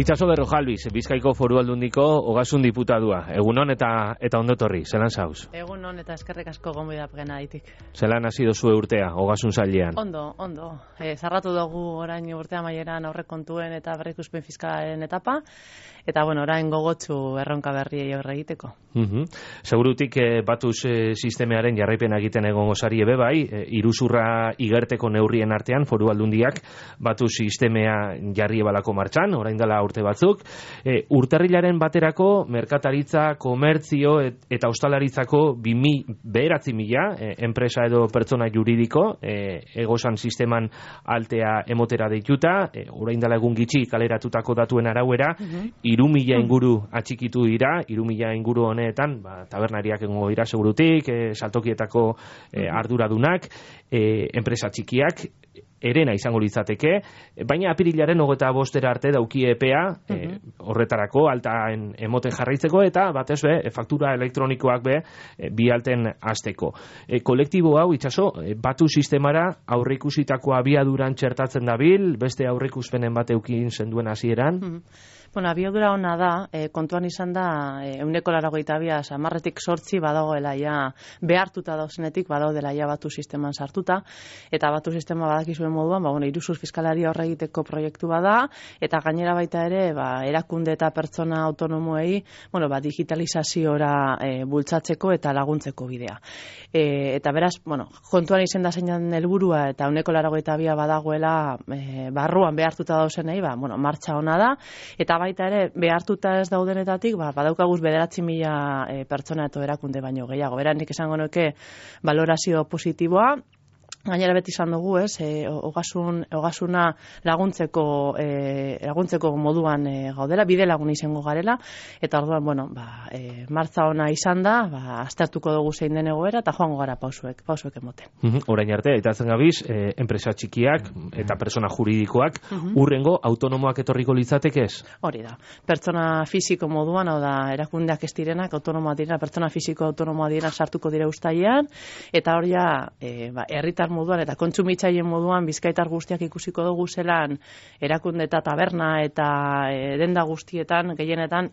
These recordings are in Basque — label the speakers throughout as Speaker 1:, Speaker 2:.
Speaker 1: Itxaso Berrojalbiz, Bizkaiko Foru Aldundiko Ogasun diputadua. Egunon eta ondo etorri, zelan zauz?
Speaker 2: Egunon eta eskerrik asko gonbidat genaitik.
Speaker 1: Zelan hasi dozue urtea, Ogasun sailean?
Speaker 2: Ondo. Zarratu dugu orain urtea maieran aurrekontuen eta berrikuspen fiskalaren etapa, eta orain gogotsu erronka berriei aurre egiteko.
Speaker 1: Segurutik Batuz sistemearen jarraipena egiten egongo sari ebe bai, iruzurra igerteko neurrien artean Foru Aldundiak Batuz sistemea jarri ebalako martxan, orain dela urte batzuk. Urtarrilaren baterako merkataritza, komertzio eta ostalaritzako 9.000 enpresa edo pertsona juridiko egosan sisteman altea emotera deituta, orain dela egun gitxi kaleratutako datuen arauera, 3.000 inguru atxikitu dira, 3.000 inguru honetan, tabernariak egongo dira segurutik, saltokietako arduradunak, enpresa txikiak, erena izango litzateke, baina apirilaren 25 arte dauki epea horretarako altaen emoten jarraitzeko eta batez be, faktura elektronikoak be bi alten hasteko. Kolektibo hau, Itxaso, Batu sistemara aurreikusitako abiaduran txertatzen dabil, beste aurreikuspenen bat eukin zenduen hasieran?
Speaker 2: Abiadura ona da, kontuan izan da, 182 samarretik 8 badagoela ja, behartuta dauzenetik badaudela ja Batu sisteman sartuta, eta Batu sistema badakizuen moduan, iruzur fiskalari aurre egiteko proiektu bada, eta gainera baita ere, erakunde eta pertsona autonomoei, digitalizaziora bultzatzeko eta laguntzeko bidea. Eta beraz, kontuan izan da zeinan helburua eta 182 badagoela barruan behartuta dauzenei, martxa ona da, eta baita ere, behartuta ez daudenetatik, badaukaguz 9.000 pertsona eta erakunde baino gehiago. Nik esango nuke valorazio positiboa, gainera beti izan dugu, ogasuna laguntzeko moduan gaudela, bide lagun izango garela, eta orduan, martza ona izan da, aztertuko dugu zein den egoera, eta joango gara pausuek emoten.
Speaker 1: Orain arte, aitatzen gabiz, enpresa txikiak eta persona juridikoak, urrengo autonomoak etorriko litzateke ez?
Speaker 2: Hori da. Pertsona fisiko moduan, hau da, erakundeak ez direnak, autonomoa dira, pertsona fisiko autonomoa dira sartuko dira uztailean, eta hori herritar moduan eta kontsumitzaileen moduan bizkaitar guztiak ikusiko dugu zelan erakunde eta taberna eta denda guztietan, gehienetan,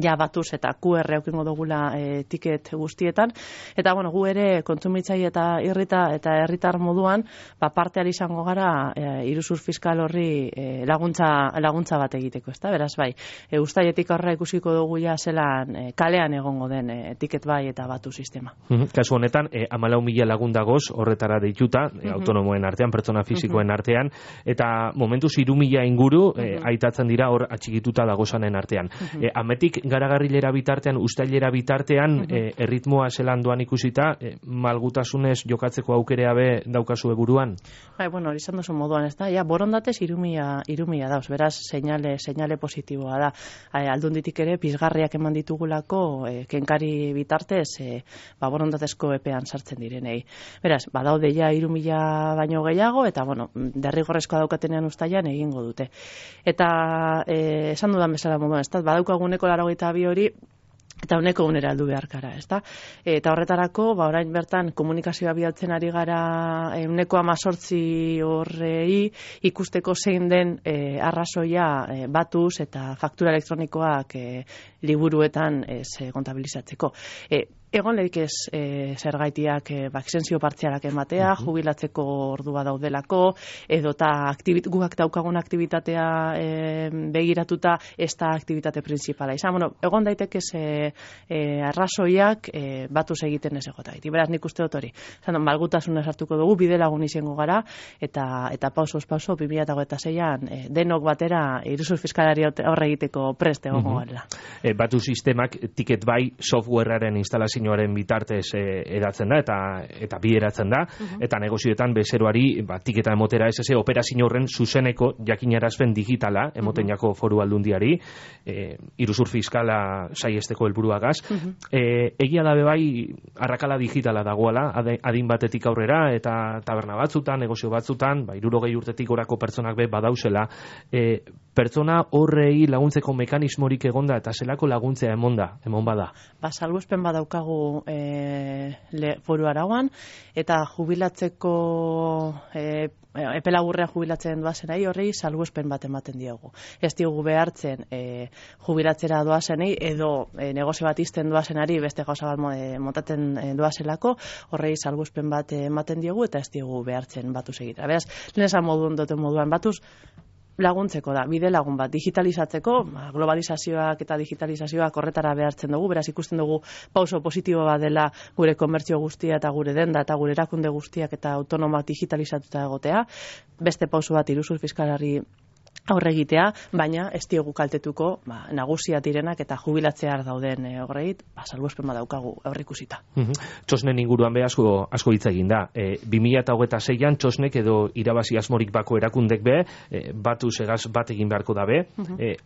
Speaker 2: ja Batuz eta QR eukingo dugula tiket guztietan, eta gu ere kontsumitzaile eta herritar moduan parteari izango gara iruzur fiskal horri laguntza bat egiteko, ezta? Beraz uztailetik aurrera ikusiko dugu ja zelan kalean egongo den tiket bai eta Batu sistema.
Speaker 1: Kasu honetan 14.000 lagun dagoz horretara deituta, autonomoen artean, pertsona fisikoen artean, eta momentuz 3.000 inguru aitatzen dira hor atxikituta dagozanen artean. Ametik garagarrilera bitartean, uztailera bitartean, erritmoa zelan doan ikusita, malgutasunez jokatzeko aukerea be daukazu buruan?
Speaker 2: Hori izan duzu moduan, ez da? Borondatez 3.000 dauz, beraz, seinale positiboa da. Aldunditik ere, pizgarriak eman ditugulako, kenkari bitartez, borondatezko epean sartzen direnei. Beraz, badaude ja 3.000 baino gehiago, eta, derrigorrezkoa daukatenean uztailean egingo dute. Eta, esan dudan bezala moduan, ez da? Badaukaguneko 82 hori, eta uneko unera aldu beharkara, ez da? Eta horretarako, orain bertan komunikazioa bidaltzen ari gara 18 horrei ikusteko zein den arrazoia Batuz eta faktura elektronikoak liburuetan kontabilizatzeko. Egon lehik ez zergaitiak exensio partzialak ematea, jubilatzeko ordua daudelako, edota guak daukagun aktibitatea begiratuta ez da aktibitate principala izan. Egon daiteke arrazoiak Batuz egiten ez egotagiti. Beraz, nik uste dut hori. Malgutasuna sartuko dugu, bide lagun izango gara, eta pausoz pauso, 2026an denok batera iruzur fiskalari aurre egiteko prest egongo garela.
Speaker 1: Batu sistemak tiket bai softwarearen instalazioaren bitartez edatzen da eta bideratzen da, eta negozioetan bezeroari tiketa emotera ez operazio horren zuzeneko jakinarazpen digitala emoten jako Foru Aldundiari, iruzur fiskala saiesteko helburuagaz. Egia da bai arrakala digitala dagoela, adin batetik aurrera, eta taberna batzutan, negozio batzutan, 60 urtetik gorako pertsonak be badauzela, pertsona horrei laguntzeko mekanismorik egonda eta zelako laguntzea emon bada?
Speaker 2: Salbuespen badaukagu foru arauan, eta jubilatzeko epe laburrean jubilatzen doazenei horrei salbuespen bat ematen diogu. Ez diogu behartzen jubilatzera doazenei edo negozio bat izten doazenari beste gauza bat montaten doazelako, horrei salbuespen bat ematen diogu eta ez diogu behartzen batuz egitea. Beraz, lehen esan moduan batuz laguntzeko da, bide lagun bat, digitalizatzeko, globalizazioak eta digitalizazioak horretara behartzen dugu, beraz ikusten dugu pauso positibo bat dela gure komertzio guztia eta gure denda eta gure erakunde guztiak eta autonomak digitalizatuta egotea, beste pauso bat iruzur fiskalari aurre egitea, baina ez diogu kaltetuko nagusia direnak eta jubilatzear dauden horreit, salbuespen badaukagu aurreikusita.
Speaker 1: Txosnen inguruan asko hitz egin da. 2026an txosnek edo irabazi asmorik bako erakundek batu segaz bat egin beharko dabe.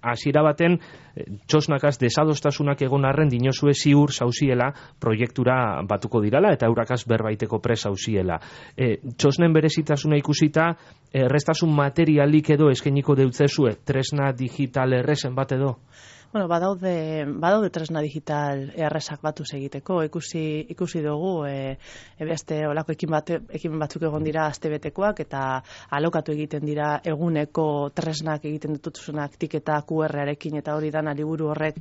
Speaker 1: Hasiera baten txosnakaz desadostasunak egon arren dinozue ziur zauziela proiektura batuko dirala eta eurakaz berbaiteko pres zauziela. Txosnen berezitasuna ikusita errestasun materialik edo eskeniko deutzezue tresna digital errezen bat edo?
Speaker 2: Bueno, badaude tresna digital errezak batuz egiteko, ikusi dugu beste olako ekimen batzuk egon dira astebetekoak eta alokatu egiten dira eguneko tresnak egiten dituzunak tiketa QR-arekin eta hori dana liburu horrek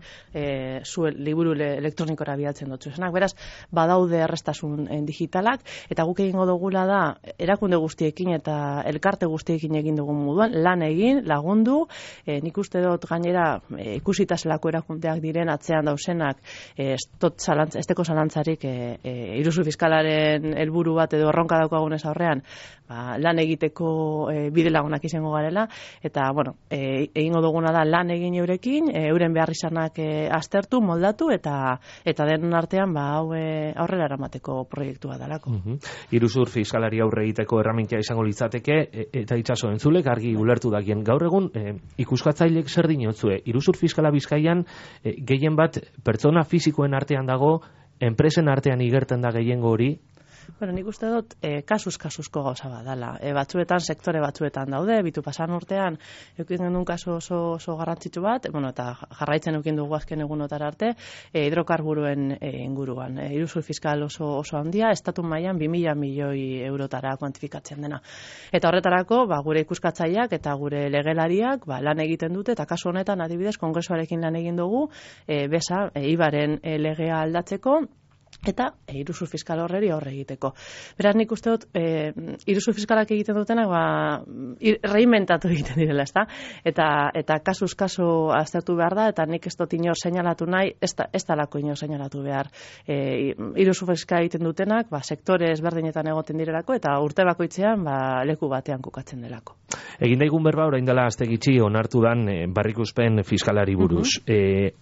Speaker 2: liburu elektronikora bidaltzen dutzuzenak. Beraz, badaude errestasun digitalak eta guk egingo dugula da erakunde guztiekin eta elkarte guztiekin egin dugun moduan lan egin, lagundu, nik uste dut gainera ikusita zelako erakundeak diren atzean dausenak esteko zalantzarik iruzur fiskalaren helburu bat edo erronka daukagunez aurrean lan egiteko bide lagunak izango garela eta bueno, egingo duguna da lan egin eurekin, euren behar izanak aztertu, moldatu eta denon artean hau aurrera eramateko proiektua dalako.
Speaker 1: Iruzur fiskalari aurre egiteko erramintia izango litzateke eta itxaso entzulek argi ulertu dakien gaur egun ikuskatzailek zer dinotzue iruzur fiskala Bizkaian gehien bat pertsona fisikoen artean dago, enpresen artean igerten da gehiengo hori?
Speaker 2: Bueno, nik uste dut kasuzko gauza bat dala. Batzuetan, sektore batzuetan daude, bitu pasan urtean, eukin genuen kasu oso garrantzitsu bat, eta jarraitzen eukin dugu azken egunotara arte, hidrokarburuen inguruan. Iruzur fiskal oso handia, estatu mailan 2.000 milioi eurotara kuantifikatzen dena. Eta horretarako, gure ikuskatzaileak eta gure legelariak lan egiten dute, eta kasu honetan adibidez, kongresuarekin lan egin dugu, IVAren legea aldatzeko, eta iruzur fiskal horreri aurre egiteko. Beraz, nik uste dut, iruzur fiskalak egiten dutenak, reinventatu egiten direla, ezta? Eta kasuz kasu aztertu behar da, eta nik ez dut inor seinalatu nahi, ez talako inor seinalatu behar. Iruzur fiskal egiten dutenak, sektore ezberdinetan egoten direlako, eta urte bakoitzean, leku batean kokatzen delako.
Speaker 1: Egin daigun berba, orain dela aste gitxi onartu dan barrikuspen fiskalari buruz.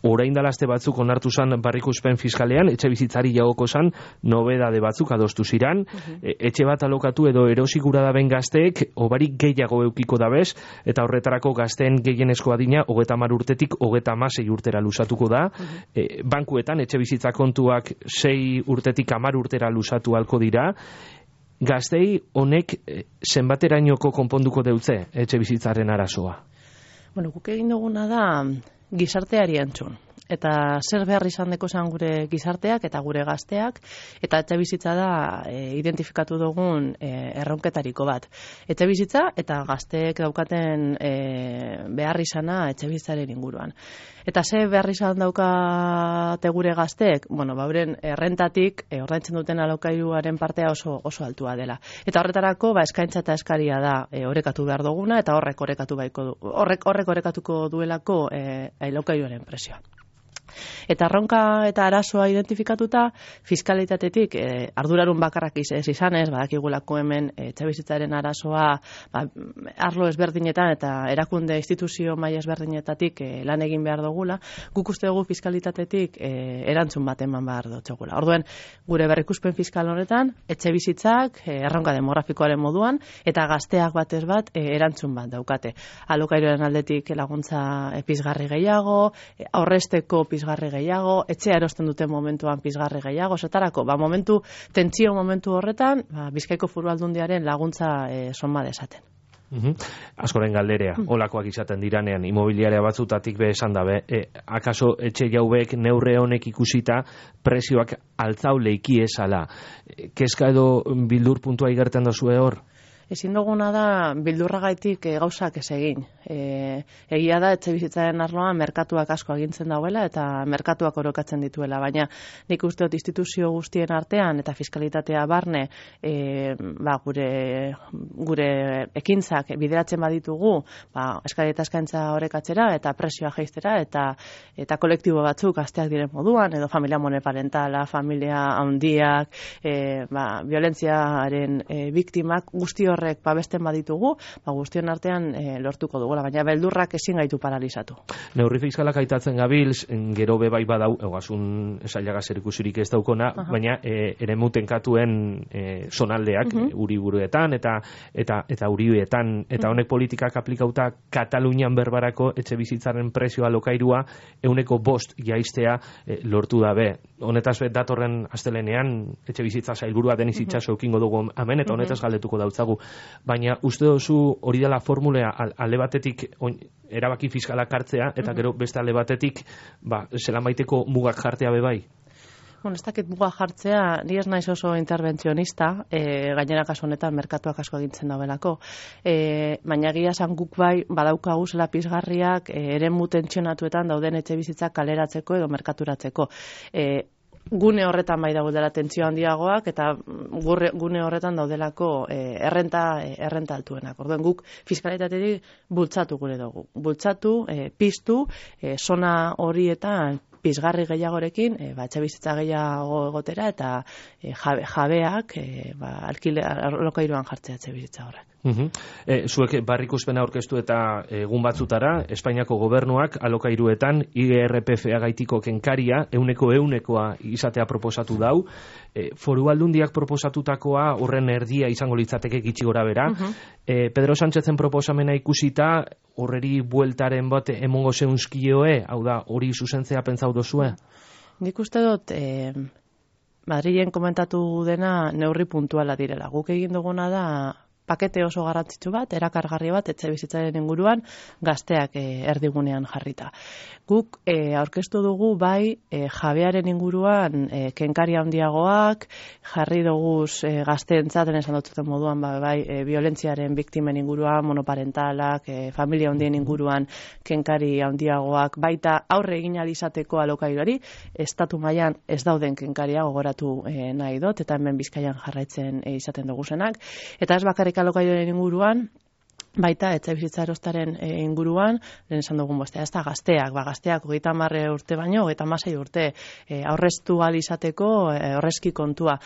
Speaker 1: Orain dela aste batzuk onartu zan barrikuspen fiskalean, etxe bizitzari jagoko zan, nobedade batzuk adostu ziran, etxe bat alokatu edo erosigura daben gazteek, obarik gehiago eukiko dabez, eta horretarako gazteen gehienezko adina, 30 urtetik 36 urtera luzatuko da. Bankuetan, etxe bizitza kontuak 6 urtetik 10 urtera luzatu halko dira. Gaztei honek zenbaterainoko konponduko deutze etxe bizitzaren arazoa?
Speaker 2: Bueno, guk egin duguna da gizarteari entzun. Eta zer behar izan deko zan gure gizarteak eta gure gazteak, eta etxe bizitza da identifikatu dugun erronketariko bat. Etxe bizitza eta gazteek daukaten behar izana etxe bizitzaren inguruan. Eta ze behar izan daukate gure gazteek, bauren errentatik ordaintzen duten alokairuaren partea oso altua dela. Eta horretarako eskaintza eta eskaria da orekatu behar duguna, eta horrek orekatuko duelako alokairuaren presioa. Eta erronka eta arazoa identifikatuta, fiskalitatetik ardurarun bakarrak izanez, badakigulako hemen etxebizitzaren arazoa arlo ezberdinetan eta erakunde instituzio maila ezberdinetatik lan egin behar dugula, guk uste dugu fiskalitatetik erantzun bat eman behar dutxogula. Orduen, gure berrikuspen fiskal honetan, etxebizitzak erronka demografikoaren moduan, eta gazteak batez bat erantzun bat daukate. Alokairuaren aldetik laguntza pizgarri gehiago, aurrezteko pizgarri gehiago, etxea erosten duten momentuan pizgarri gehiago, zetarako, tentsio momentu horretan, Bizkaiko Foru Aldundiaren laguntza sonba desaten.
Speaker 1: Askoren galderea, olakoak izaten diranean, imobiliaria batzutatik esan dabe, akaso etxe jaubek neurre honek ikusita presioak altzau leiki esala. Kezka edo bildur puntua igerten dozue hor?
Speaker 2: Ezin duguna da bildurragaitik gauzak ez egin. Egia da etxebizitzaren arloan merkatuak asko agintzen dauela eta merkatuak orokatzen dituela, baina nik uste dut instituzio guztien artean eta fiskalitatea barne gure ekintzak bideratzen baditugu, eskari eta eskaintza orekatzera eta presioa jaistera eta kolektibo batzuk gazteak diren moduan, edo familia monoparentala, familia handiak, violentziaren biktimak, guzti horrek babesten baditugu, guztion artean lortuko dugula, baina beldurrak ezin gaitu paralizatu.
Speaker 1: Neurri fiskalak aitatzen gabilz, gero bebai badau, egasun esailaga zerikusirik ez daukona, baina eremuten katuen zonaldeak, uriburuetan eta uribietan, eta honek politikak aplikauta Katalunian berbarako etxe bizitzaren prezioa lokairua 5% jaistea lortu dabe. Honetaz datorren astelenean etxe bizitza sailburua Deniz Itxaso ekingo dugu hemen, eta honetaz galdetuko dautzagu. Baina uste duzu hori dela formulea alde batetik erabaki fiskalak hartzea, eta gero beste alde batetik zelan baiteko mugak jartzea bebai?
Speaker 2: Ez dakit muga jartzea, ni ez naiz oso interbentzionista, gainera kasu honetan merkatuak asko egintzen daudelako, baina egia esan guk bai badaukagu zela pizgarriak eremu tentsionatuetan dauden etxe bizitzak kaleratzeko edo merkaturatzeko. Gune horretan bai daudela tentsio handiagoak eta gune horretan daudelako errenta altuenak. Orduan guk fiskalitatetik bultzatu gure dugu. Bultzatu, piztu, zona horietan pizgarri gehiagorekin, etxe bizitza gehiago egotera eta jabeak alokairuan jartzea etxe bizitza horrek.
Speaker 1: Zuek barrikuspena aurkeztu eta egun batzutara, Espainiako gobernuak alokairuetan IRPF-a gaitiko kenkaria 100%koa izatea proposatu dau. Foru Aldundiak proposatutakoa horren erdia izango litzateke gitxi gora bera. Pedro Sánchezen proposamena ikusita horreri bueltaren bat emongo zeunskioe, hau da, hori zuzentzea pentsau dozue?
Speaker 2: Nik uste dut Madrilen komentatu dena neurri puntuala direla. Guk egin duguna da pakete oso garrantzitsu bat, erakargarri bat, etxe bizitzaren inguruan, gazteak erdigunean jarrita. Guk aurkeztu dugu bai jabearen inguruan kenkari handiagoak, jarri duguz gazteentzat, esan duten moduan bai violentziaren biktimen inguruan, monoparentalak, familia handien inguruan kenkari handiagoak, baita aurre egin alizateko alokairuari, estatu mailan ez dauden kenkaria gogoratu nahi dut, eta hemen Bizkaian jarraitzen izaten duguzenak, eta ez bakarrik alokairuaren inguruan, baita etxe bizitza erostaren inguruan, lehen esan dugun bostea, ez da gazteak, gazteak 30 urte baino, 36 urte aurreztu alizateko horrezki kontua.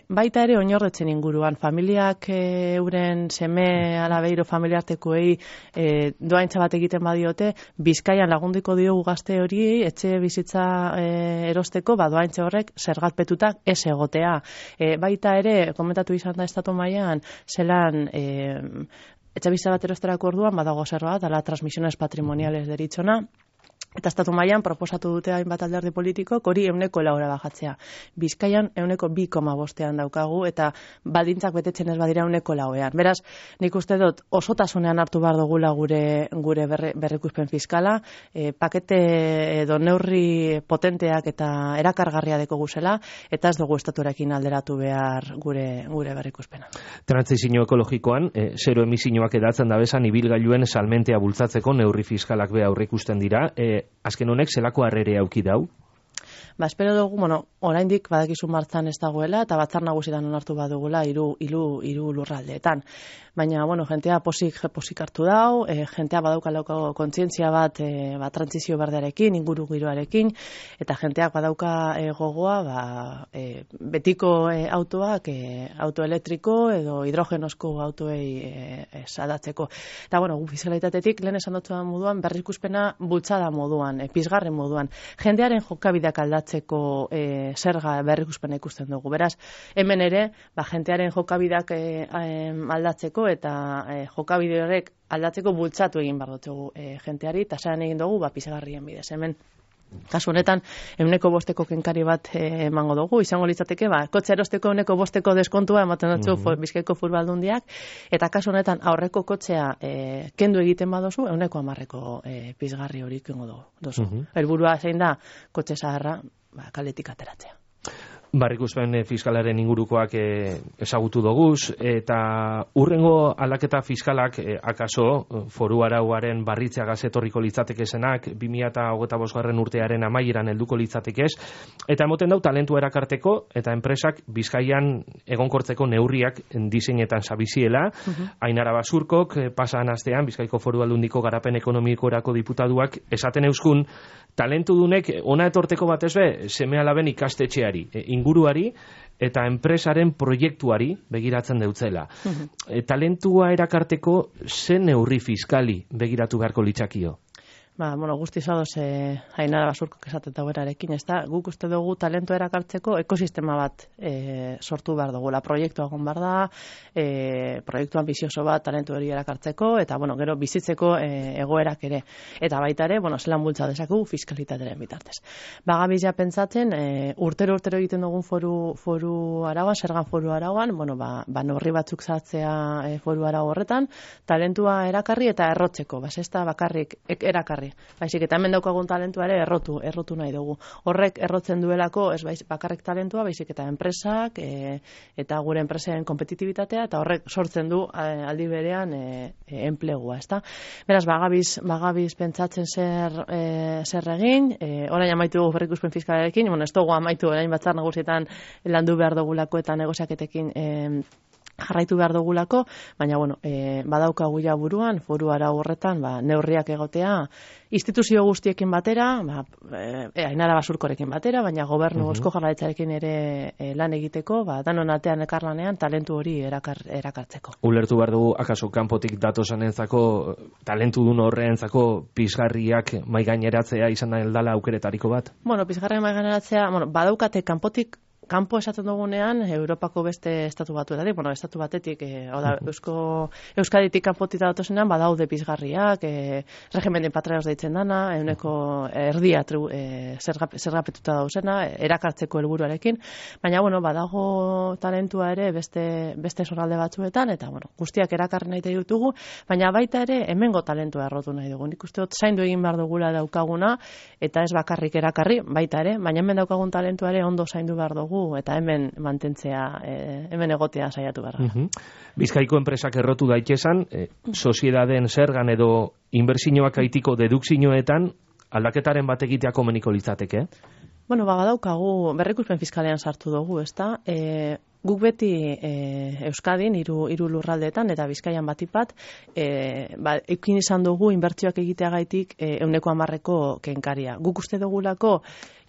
Speaker 2: Baita ere oinordetzen inguruan, familiak euren seme alabeiro familiartekoei doaintza bat egiten badiote, Bizkaian lagunduko diogu gazte hori etxe bizitza erosteko, doaintza horrek zergatpetutak ez egotea. Baita ere, komentatu izan da estatu mailan, zelan etxe bizitza bat erosterako orduan badago zerroa, dala transmisiones patrimoniales deritzona, eta estatu mailan proposatu dute hainbat alderdi politikok hori 4% bajatzea. Bizkaian 2,5 daukagu eta baldintzak betetzen ez badira 4%. Beraz, nik uste dut osotasunean hartu behar dugula gure berrikuspen fiskala, pakete edo neurri potenteak eta erakargarria deko guzela, eta ez dugu estatuarekin alderatu behar gure berrikuspena.
Speaker 1: Trantsizio ekologikoan, zero emisioak edatzen dabezan ibilgailuen salmentea bultzatzeko neurri fiskalak be aurreikusten dira. Azken honek zelako harrere auki dau?
Speaker 2: Espero dugu, oraindik badakizu martzan ez dagoela, eta batzar nagusietan onartu badugula hiru lurraldeetan. Baina, jentea posik hartu dau, jentea badauka kontzientzia bat trantzizio berdearekin, inguru giroarekin, eta jenteak badauka gogoa betiko autoak auto elektriko edo hidrogenosko autoei sadatzeko. Eta, gu fiskalitatetik lehen esan dutzuan moduan, berrikuspena bultzada moduan, pizgarren moduan. Jendearen jokabideak aldatzeko zerga berrikuspena ikusten dugu. Beraz, hemen ere, jentearen jokabideak aldatzeko eta jokabide horrek aldatzeko bultzatu egin behar dutugu jenteari, eta zelan egin dugu pizgarrien bidez. Hemen, kasu honetan, 5% kenkari bat emango dugu, izango litzateke, kotxe erosteko 5% deskontua ematen dutzu Bizkaiko Foru Aldundiak, eta kasu honetan aurreko kotxea kendu egiten badozu, 10% pizgarri hori kengo duzu. Helburua zein da, kotxe zaharra kaletik ateratzea.
Speaker 1: Barrikuspen fiskalaren ingurukoak ezagutu doguz, eta urrengo aldaketa fiskalak akaso foru arauaren barritzeagaz etorriko litzateke zenak 2025. Urtearen amaieran helduko litzatekez, eta emoten dau talentua erakarteko eta enpresak Bizkaian egonkortzeko neurriak diseinetan sabiziela. Ainara Basurkok pasan astean Bizkaiko Foru Aldundiko garapen ekonomikorako diputaduak esaten euskun talentudunek ona etorteko batez be seme-alaben ikastetxeari, inguruari eta enpresaren proiektuari begiratzen deutzela. Talentua erakarteko zen neurri fiskali begiratu beharko litzakio?
Speaker 2: Guztiz ados Ainara Basurkok esaten dauerarekin, ez da, guk uste dugu talentu erakartzeko ekosistema bat sortu behar dugu. Proiektua egon behar da, proiektu ambizioso bat talentu hori erakartzeko, eta, gero bizitzeko egoerak ere. Eta baita ere, zelan bultza dezakegu fiskalitateren bitartez. Bagabizia pentsatzen, urtero egiten dugun foru arauan, zergan foru arauan, neurri batzuk sartzea foru arau horretan, talentua erakarri eta errotzeko, ez da bakarrik erakarri. Baizik, eta hemen daukagun talentua ere errotu nahi dugu. Horrek errotzen duelako, ez bakarrik talentua, baizik eta enpresak, eta gure enpresen kompetitibitatea, eta horrek sortzen du aldi berean enplegua, ezta? Beraz, bagabiz pentsatzen zer egin, orain amaitu dugu berrikuspen fiskalarekin, ez dugu amaitu orain batzar nagusietan landu behar dugulako eta negoziaketekin jarraitu behar dugulako, baina badaukagu ja buruan, foru arau horretan, neurriak egotea, instituzio guztiekin batera, Ainara Basurkorekin batera, baina gobernu Eusko Jaurlaritzarekin ere lan egiteko, danon artean ekarlanean talentu hori erakartzeko.
Speaker 1: Ulertu behar dugu, akaso kanpotik datosanentzako, talentudun horreentzako pizgarriak maigaineratzea izan da heldala aukeretariko bat?
Speaker 2: Pizgarriak maigaineratzea, badaukate kanpo esaten dugunean, Europako beste estatu batuetatik, estatu batetik, Euskaditik kanpotik datozenean, badaude pizgarriak, regimen de patriados deitzen dana, euneko erdia zergapetuta dauzena, erakartzeko helburuarekin, baina, badago talentua ere beste zoralde batzuetan, eta, guztiak erakarri nahi ditugu, baina baita ere, hemengo talentua errotu nahi dugu. Nik uste dut, zaindu egin behar dugula daukaguna, eta ez bakarrik erakarri, baita ere, baina hemen daukagun talentua ere ondo zaindu behar dugu, eta hemen mantentzea, hemen egotea saiatu behar.
Speaker 1: Bizkaiko enpresak errotu daitezan, soziedaden zergan edo inbertsioak aitiko dedukzioetan aldaketaren bat egitea komeniko litzateke?
Speaker 2: Badaukagu, berrikuspen fiskalean sartu dugu, ezta? Guk beti Euskadin, hiru lurraldeetan, eta Bizkaian batipat, eukin izan dugu inbertsioak egiteagaitik 110% kenkaria. Guk uste dugulako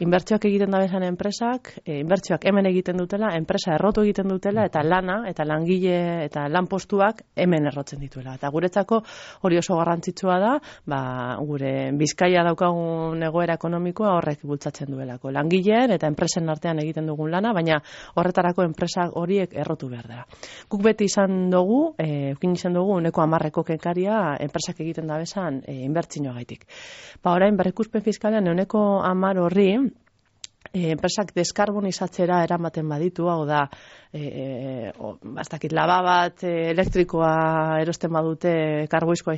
Speaker 2: inbertsioak egiten dabezan enpresak, inbertsioak hemen egiten dutela, enpresa errotu egiten dutela, eta lana, eta langile, eta lanpostuak hemen errotzen dituela. Eta guretzako hori oso garrantzitsua da, gure Bizkaia daukagun egoera ekonomikoa horrek bultzatzen duelako. Langileen eta enpresen artean egiten dugun lana, baina horretarako enpresa horiek errotu behar dira. Guk beti izan dugu, eukin izan dugu 110% kenkaria enpresak egiten dabezan inbertsioagaitik. Orain berrikuspen fiskalean 110% horri enpresak deskarbonizatzera eramaten baditu, hau da, laba bat elektrikoa erosten badute karboizkoa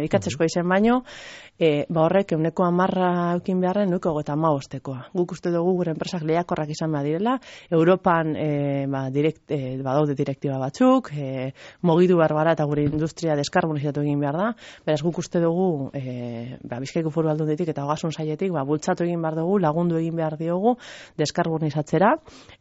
Speaker 2: ikatzezkoa izen baino, horrek 110% eukin beharren 135%. Guk uste dugu gure enpresak lehiakorrak izan behar direla, Europan badaude direktiba batzuk, mugitu behar gara eta gure industria deskarbonizatu egin behar da, beraz guk uste dugu Bizkaiko Foru Aldunditik eta Ogasun Sailetik bultzatu egin behar dugu, lagundu egin behar diogu deskarbonizatzera,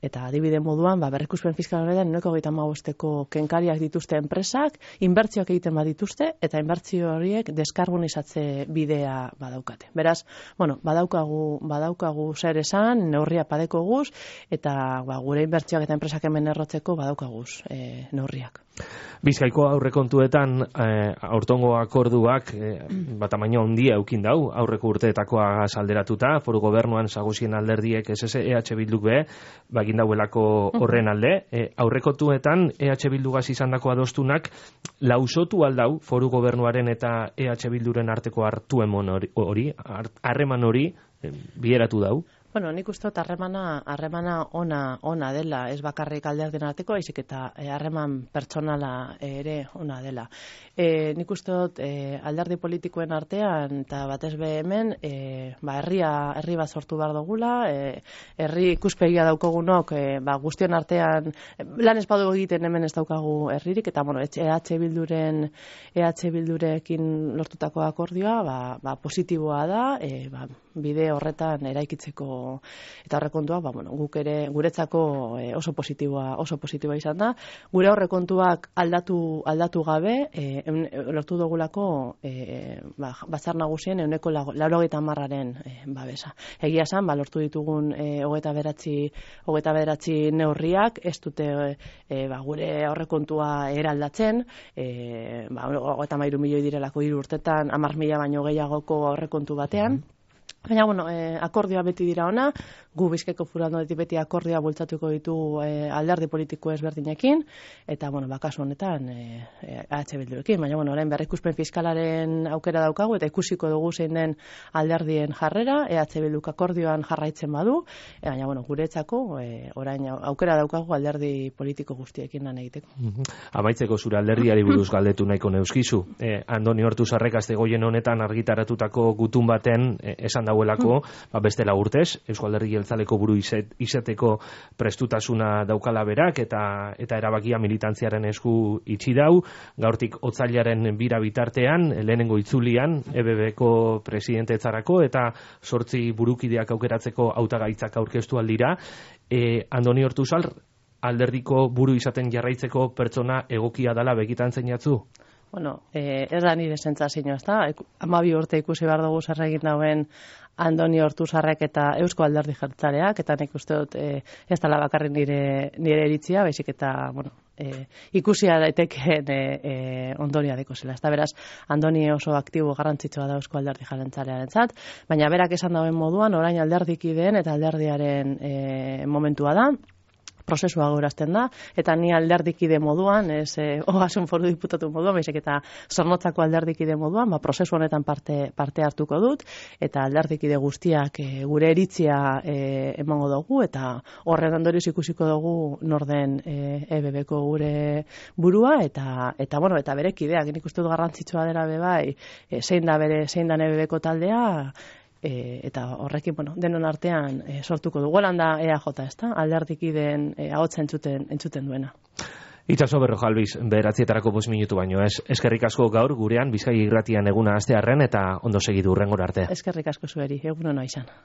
Speaker 2: eta adibide moduan berrikuspen fiskal horretan 135%ko kenkariak dituzte enpresak, inbertsioak egiten badituzte, eta inbertsio horiek deskarbonizatze bidea badaukate. Beraz, badaukagu zer esan, neurria padeko guz, eta gure inbertsioak eta enpresak hemen errotzeko badaukaguz neurriak.
Speaker 1: Bizkaiko aurrekontuetan aurtongo akorduak tamaina handia eukin dau, aurreko urteetakoa salderatuta, foru gobernuan sagusien alderdiek SS EH Bilduk be, bagin dauelako horren alde, aurrekontuetan EH Bildugaz izandako adostunak lausotu aldau foru gobernuaren eta EH Bilduren arteko harreman hori, bideratu dau?
Speaker 2: Bueno, nik uste dut harremana ona dela, ez bakarrik alderdien arteko, baizik eta harreman pertsonala ere ona dela. Nik uste dut alderdi politikoen artean, eta batez be hemen, herri bat sortu behar dugula, herri ikuspegia daukogunok, guztion artean, lan espadu egiten hemen ez daukagu herririk, eta bueno, EH Bildurekin lortutako akordioa, positiboa da, bide horretan eraikitzeko eta aurrekontuak, guk ere guretzako oso positiboa izan da. Gure aurrekontuak aldatu gabe, lortu dugulako batzar nagusien 80%aren babesa. Egia esan, lortu ditugun 29 neurriak, ez dute gure aurrekontua eraldatzen, 33 milioi direlako 3 urtetan, 10.000 baino gehiagoko aurrekontu batean. Baina, akordioa beti dira ona, gu Bizkaiko Foru Aldunditik beti akordioa bultzatuko ditu alderdi politiko ezberdinekin, eta, kasu honetan, EH Bildurekin. Baina, orain berrikuspen fiskalaren aukera daukagu, eta ikusiko dugu zein den alderdien jarrera, EH Bilduk akordioan jarraitzen badu, baina, guretzako, orain aukera daukagu alderdi politiko guztiekin lan egiteko.
Speaker 1: Amaitzeko zure alderdiari buruz galdetu nahiko neuskizu. Andoni Ortuzarrek Astegoien honetan argitaratutako gutun baten esan dauelako, bestela urtez, Eusko Alderdi Jeltzaleko buru izateko prestutasuna daukala berak, eta erabakia militantziaren esku itxi dau, gaurtik otsailaren 2 bitartean, lehenengo itzulian, EBBko presidentetzarako, eta 8 burukideak aukeratzeko hautagaitzak aurkeztu aldira. Andoni Ortuzar, alderdiko buru izaten jarraitzeko pertsona egokia dela begitan zeinatzu?
Speaker 2: Ez da nire sentsazioa, ez da? 12 urte ikusi behar dugu zer egin dauen Andoni Ortuzarrek eta Eusko Alderdi Jeltzaleak, eta nik uste dut ez dela bakarrik nire iritzia, baizik eta, ikusia daitekeen ondoria deko zela. Ez da, beraz, Andoni oso aktibo garrantzitsua da Eusko Alderdi Jeltzalearentzat, baina berak esan dauen moduan, orain alderdikideen eta alderdiaren momentua da, prozesua gaurazten da, eta ni alderdikide moduan, ez Ogasun Foru Diputatu moduan, baizik eta Zornotzako alderdikide moduan, prozesu honetan parte hartuko dut, eta alderdikide guztiak gure iritzia emango dugu, eta horren ondorioz ikusiko dugu norden EBBko gure burua, eta bere kideak, nik uste dut garrantzitsua dela bebai, zein da EBBko taldea, eta horrekin, denon artean sortuko dugu. Holanda EAJ, ez da? Alderdikideen ahotsa entzuten duena.
Speaker 1: Itxaso Berrojalbiz, 9:00 5 minutu baino ez. Eskerrik asko gaur gurean Bizkaia Irratian eguna hastearren, eta ondo segidu hurrengora arte.
Speaker 2: Eskerrik asko zueri, egun ona izan.